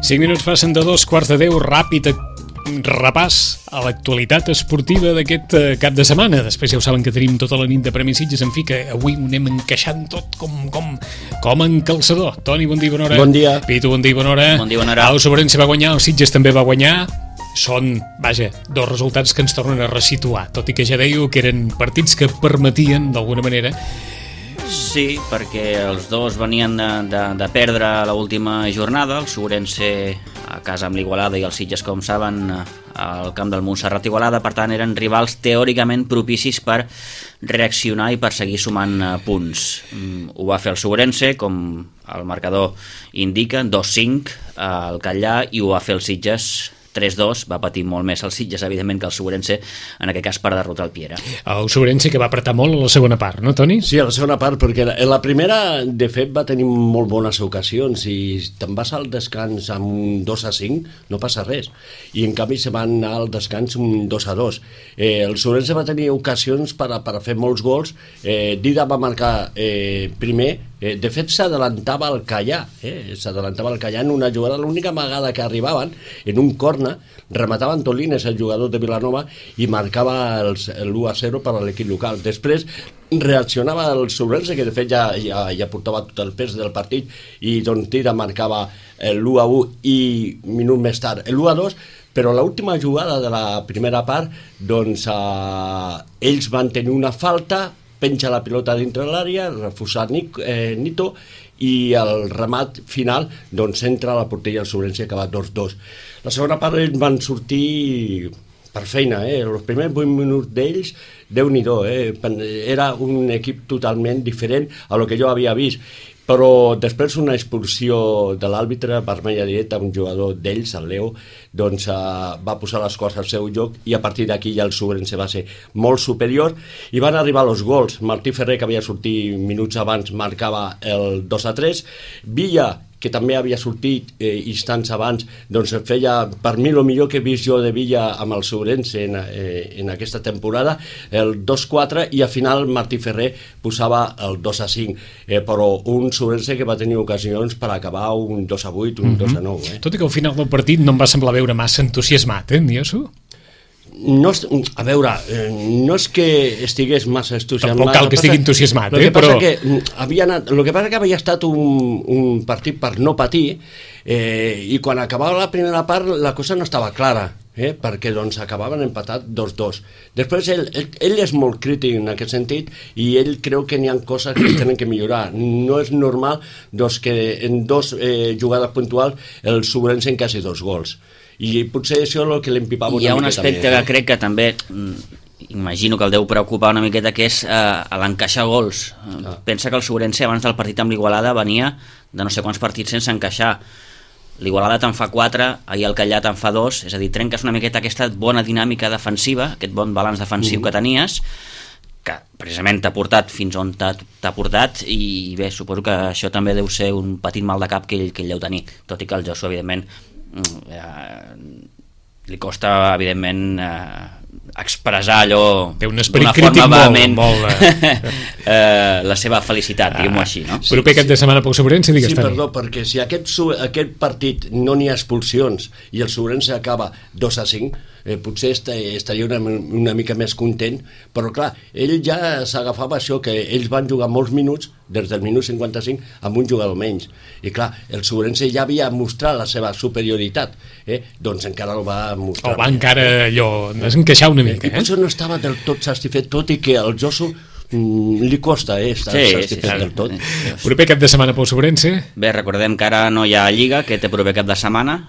5 minuts passen de 2:15, ràpid repàs a l'actualitat esportiva d'aquest cap de setmana. Després ja ho saben que tenim tota la nit de Premis Sitges, en fi, que avui ho anem encaixant tot com en calçador. Toni, bon dia, bona hora. Bon dia. Pitu, bon dia, bona hora. Bon dia, bona hora. El Sobrense va guanyar, el Sitges també va guanyar. Són, vaja, dos resultats que ens tornen a resituar, tot i que ja dèieu que eren partits que permetien, d'alguna manera. Sí, perquè els dos venien de perdre l'última jornada, el Sobrense a casa amb l'Igualada i el Sitges, com saben, al camp del Montserrat Igualada. Per tant, eren rivals teòricament propicis per reaccionar i per seguir sumant punts. Ho va fer el Sobrense, com el marcador indica, 2-5 al Catllà, i ho va fer el Sitges 3-2, va patir molt més el Sitges, evidentment, que el Sobrense, en aquest cas per derrotar el Piera. El Sobrense que va apretar molt a la segona part, no, Toni? Sí, a la segona part, perquè en la primera, de fet, va tenir molt bones ocasions i te'n vas al descans amb un 2-5, no passa res. I en canvi se van anar al descans un 2-2. El Sobrense va tenir ocasions per fer molts gols. Dida va marcar primer. De fet, s'adelantava el Catllà, s'adelantava el Catllà en una jugada, l'única vegada que arribaven, en un corna, remataven Tolines, el jugador de Vilanova, i marcava l'1-0 per a l'equip local. Després reaccionava el Sobrense, que de fet ja portava tot el pes del partit, i doncs Tira marcava l'1-1 i minut més tard l'1-2, però l'última jugada de la primera part, doncs ells van tenir una falta, penja la pilota dintre l'àrea, refusa Nito, i el remat final doncs entra a la porteria del Sobrense, que va 2-2. La segona part ells van sortir per feina, els primers 8 minuts d'ells, Déu-n'hi-do, era un equip totalment diferent a lo que jo havia vist. Però després una expulsió de l'àrbitre, vermella directa, un jugador d'ells, el Leo, doncs va posar les coses al seu lloc, i a partir d'aquí ja el Sobrense va ser molt superior i van arribar els gols. Martí Ferrer, que havia sortit minuts abans, marcava el 2-3. Villa, que també havia sortit instants abans, doncs feia, per mi, el millor que he vist jo de Villa amb el Sobrense en aquesta temporada, el 2-4, i al final Martí Ferrer posava el 2-5, però un Sobrense que va tenir ocasions per acabar un 2-8, un 2-9. Tot i que al final del partit no em va semblar veure massa entusiasmat, Ndiosu? No, a veure, no és que estigués massa entusiasmat. Tampoc cal que estigui entusiasmat, però... El que passa que havia estat un partit per no patir, i quan acabava la primera part la cosa no estava clara, perquè doncs acabaven empatat 2-2. Després ell és molt crític en aquest sentit, i ell creu que n'hi ha coses que tenen que millorar. No és normal doncs, que en dos jugades puntuals el Sobrense encassi 2 gols. I potser això és el que l'empipava una miqueta. Hi ha un aspecte que crec que també imagino que el deu preocupar una miqueta, que és l'encaixar gols. Pensa que el Sobrense abans del partit amb l'Igualada venia de no sé quants partits sense encaixar. L'Igualada te'n fa 4, ahir el Catllà te'n fa 2, és a dir, trenques una miqueta aquesta bona dinàmica defensiva, aquest bon balanç defensiu que tenies, que precisament t'ha portat fins on t'ha portat, i bé, suposo que això també deu ser un petit mal de cap que ell deu tenir, tot i que el Josu, evidentment, li costa, evidentment, expressar allò d'una forma vehement la seva felicitat, diguem-ho així, no? Proper cap de setmana pel Sobrense, digues, sí, perdó, perquè si aquest partit no n'hi ha expulsions i el Sobrense acaba 2-5, potser estaria una mica més content, però clar, ell ja s'agafava això, que ells van jugar molts minuts, des del minut 55, amb un jugador menys, i clar, el Sobrense ja havia mostrat la seva superioritat, doncs encara el va mostrar. O va encara allò, desencaixar una mica, I potser no estava del tot satisfet, tot i que el Josu li costa estar satisfet del tot. Proper cap de setmana pel Sobrense? Bé, recordem que ara no hi ha Lliga, que té proper cap de setmana,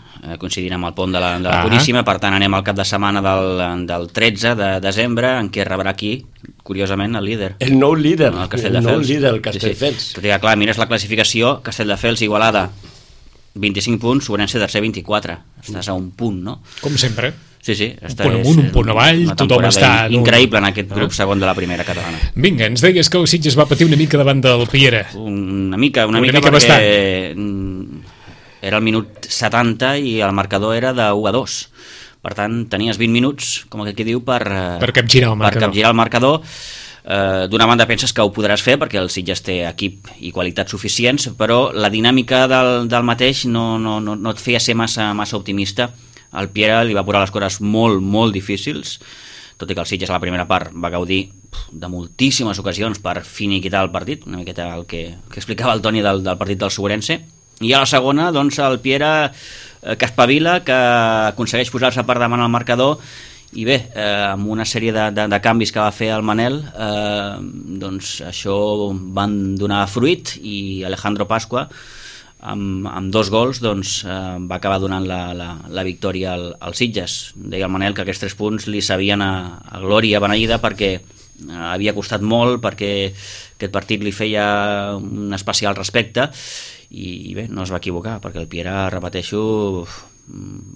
coincidint amb el pont de la Puríssima, per tant anem al cap de setmana del 13 de desembre, en què rebrà aquí, curiosament, el líder. El nou líder, el Castelldefels. Tot i que, clar, mires la classificació, Castelldefels, Igualada, 25 punts, Sobrense tercer, 24. Estàs a un punt, no? Com sempre. Sí, un punt amunt, un punt avall, tothom està... increïble en aquest grup segon de la primera catalana. Vinga, ens deies que el Sitges va patir una mica davant del Piera. Una mica perquè bastant. Era el minut 70 i el marcador era de 1-2. Per tant, tenies 20 minuts, com aquell que diu, per capgirar el marcador. D'una banda penses que ho podràs fer perquè el Sitges té equip i qualitats suficients, però la dinàmica del mateix no et feia ser massa optimista. El Piera li va posar les coses molt, molt difícils, tot i que el Sitges a la primera part va gaudir de moltíssimes ocasions per finiquitar el partit, una miqueta el que explicava el Toni del partit del Segurense, i a la segona doncs el Piera que espavila, que aconsegueix posar-se per davant al marcador, i bé, amb una sèrie de canvis que va fer el Manel, doncs això van donar fruit, i Alejandro Pasqua amb 2 gols doncs, va acabar donant la victòria al Sitges. Deia el Manel que aquests 3 punts li sabien a glòria beneïda perquè havia costat molt, perquè aquest partit li feia un especial respecte, i bé, no es va equivocar, perquè el Piera, repeteixo,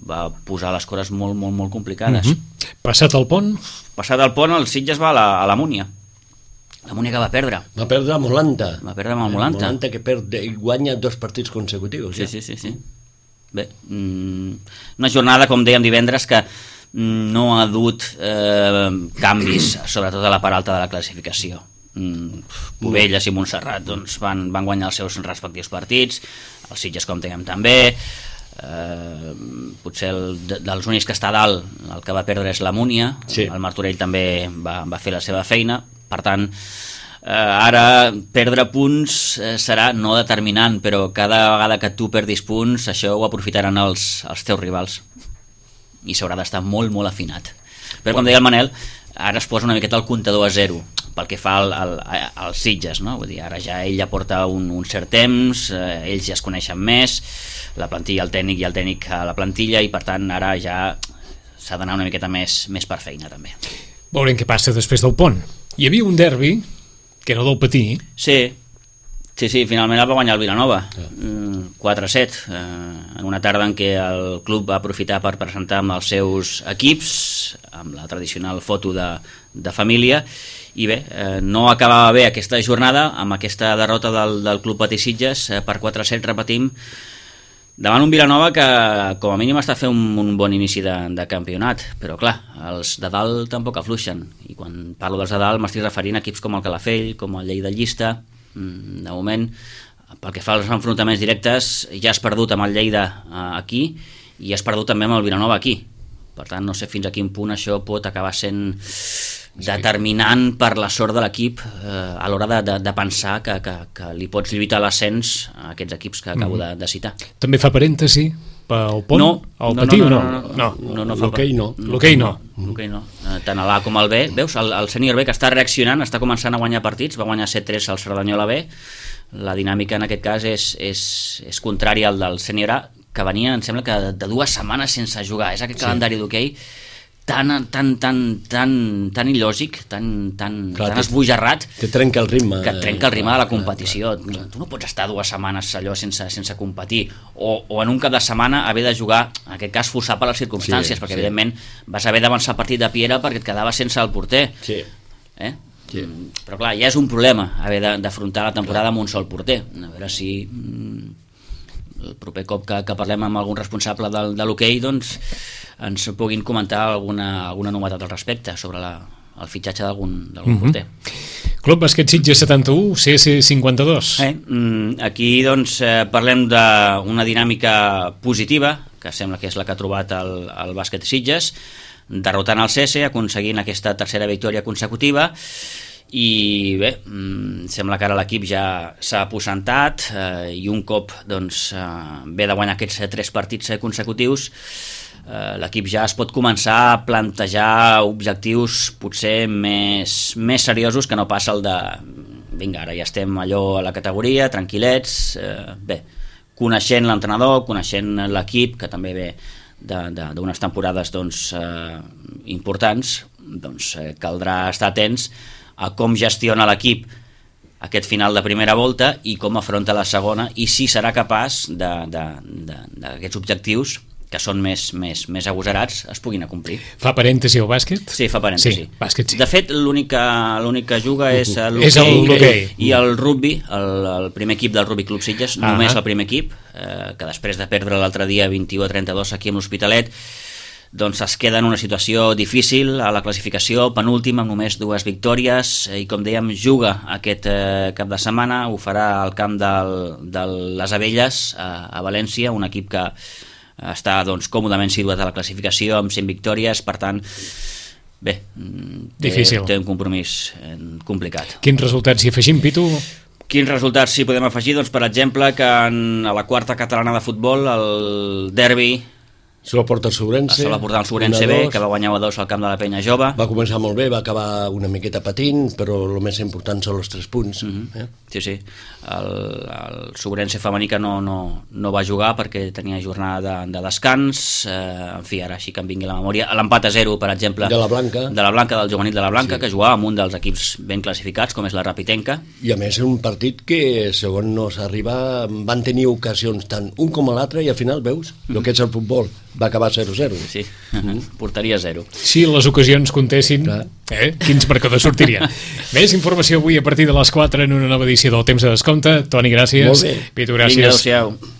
va posar les coses molt, molt, molt complicades. Passat el pont? Passat el pont, el Sitges va a la Múnia. La Múnia que va perdre. Va perdre a Molanta. Va perdre amb el Molanta. Molanta que guanya 2 partits consecutius. Sí. Bé, una jornada, com dèiem divendres, que no ha dut canvis, sobretot a la part alta de la classificació. Cubelles i Montserrat doncs, van guanyar els seus respectius partits, el Sitges, com dèiem, també. Potser dels únics que està a dalt, el que va perdre és la Múnia. Sí. El Martorell també va fer la seva feina, per tant ara perdre punts serà no determinant, però cada vegada que tu perdis punts això ho aprofitaran els teus rivals i s'haurà d'estar molt, molt afinat. Però com deia el Manel, ara es posa una miqueta el comptador a 0 pel que fa als Sitges, no? Vull dir, ara ja ell ja porta un cert temps, ells ja es coneixen més, la plantilla, el tècnic a la plantilla, i per tant ara ja s'ha d'anar una miqueta més per feina també. Veurem què passa després del pont. Hi havia un derbi que era del Patí. Sí, finalment el va guanyar el Vilanova, 4-7, en una tarda en què el club va aprofitar per presentar amb els seus equips, amb la tradicional foto de família, i bé, no acabava bé aquesta jornada amb aquesta derrota del club Patí Sitges per 4-7, repetim, davant un Vilanova que com a mínim està fent un bon inici de campionat, però clar, els de dalt tampoc afluixen, i quan parlo dels de dalt m'estic referint a equips com el Calafell, com el Lleida Llista. De moment, pel que fa als enfrontaments directes, ja has perdut amb el Lleida aquí i has perdut també amb el Vilanova aquí, per tant no sé fins a quin punt això pot acabar sent determinant per la sort de l'equip a l'hora de pensar que li pots lluitar l'ascens a aquests equips que acabo de citar. També fa parèntesi pel pont? No, el Patí o no? L'hoquei no. L'hoquei no. Tant a l'A com al B. Veus, el sènior B que està reaccionant, està començant a guanyar partits, va guanyar 7-3 al Cerdanyola B. La dinàmica en aquest cas és contrària al del sènior A, que venia, em sembla que de 2 setmanes sense jugar. És aquest calendari d'hoquei tan il·lògic, tan esbojarrat, que trenca el ritme, que trenca el ritme de la competició. Tu no pots estar 2 setmanes allò sense competir, o en un cap de setmana haver de jugar, en aquest cas forçar per les circumstàncies, perquè evidentment vas haver d'avançar el partit de Piera perquè et quedaves sense el porter. Sí. Però clar, ja és un problema haver d'afrontar la temporada amb un sol porter. A veure si el proper cop que parlem amb algun responsable de l'hoquei doncs ens puguin comentar alguna novetat al respecte sobre el fitxatge d'algun porter. Club Bàsquet Sitges 71, CS 52. Aquí doncs parlem d'una dinàmica positiva, que sembla que és la que ha trobat el Bàsquet Sitges, derrotant el CS, aconseguint aquesta tercera victòria consecutiva, i bé, sembla que ara l'equip ja s'ha aposentat i un cop doncs, ve de guanyar aquests 3 partits consecutius, l'equip ja es pot començar a plantejar objectius potser més seriosos que no passa el de vinga, ara ja estem allò a la categoria, tranquil·lets, bé, coneixent l'entrenador, coneixent l'equip, que també ve d'unes temporades doncs, importants, doncs caldrà estar atents a com gestiona l'equip aquest final de primera volta i com afronta la segona, i si serà capaç d'aquests objectius que són més agosarats es puguin acomplir. Fa parèntesi al bàsquet? Sí, fa parèntesi. Sí, bàsquet sí. De fet, l'únic que juga és l'hoquei i el rugby, el primer equip del Rugby Club Sitges, només el primer equip, que després de perdre l'altre dia 21-32 aquí amb l'Hospitalet, doncs es queda en una situació difícil a la classificació, penúltim amb només 2 victòries, i com dèiem juga aquest cap de setmana, ho farà al camp de les Abelles a València, un equip que està doncs còmodament situat a la classificació amb 100 victòries, per tant bé, té un compromís complicat. Quins resultats hi afegim, Pitu? Quins resultats s'hi podem afegir? Doncs, per exemple, que a la quarta catalana de futbol, el derbi se la porta el Sobrense. Se la porta el Sobrense B, que va guanyar 1-2 al camp de la Penya Jove. Va començar molt bé, va acabar una miqueta patint, però el més important són els 3 punts. Sí. El Sobrense femení que no va jugar perquè tenia jornada de descans. En fi, ara així que em vingui la memòria. L'empat a 0, per exemple, de la Blanca, del juvenil de la Blanca, que jugava amb un dels equips ben classificats, com és la Rapitenca. I a més un partit que, segons no s'arriba, van tenir ocasions tant un com l'altre, i al final veus el que és el futbol. Va acabar 0-0. Sí, portaria 0. Si les ocasions comptessin, quins marcadors sortirien. Més informació avui a partir de les 4 en una nova edició del Temps de Descompte. Toni, gràcies. Molt bé. Pitu, gràcies. Vinga, adéu-siau.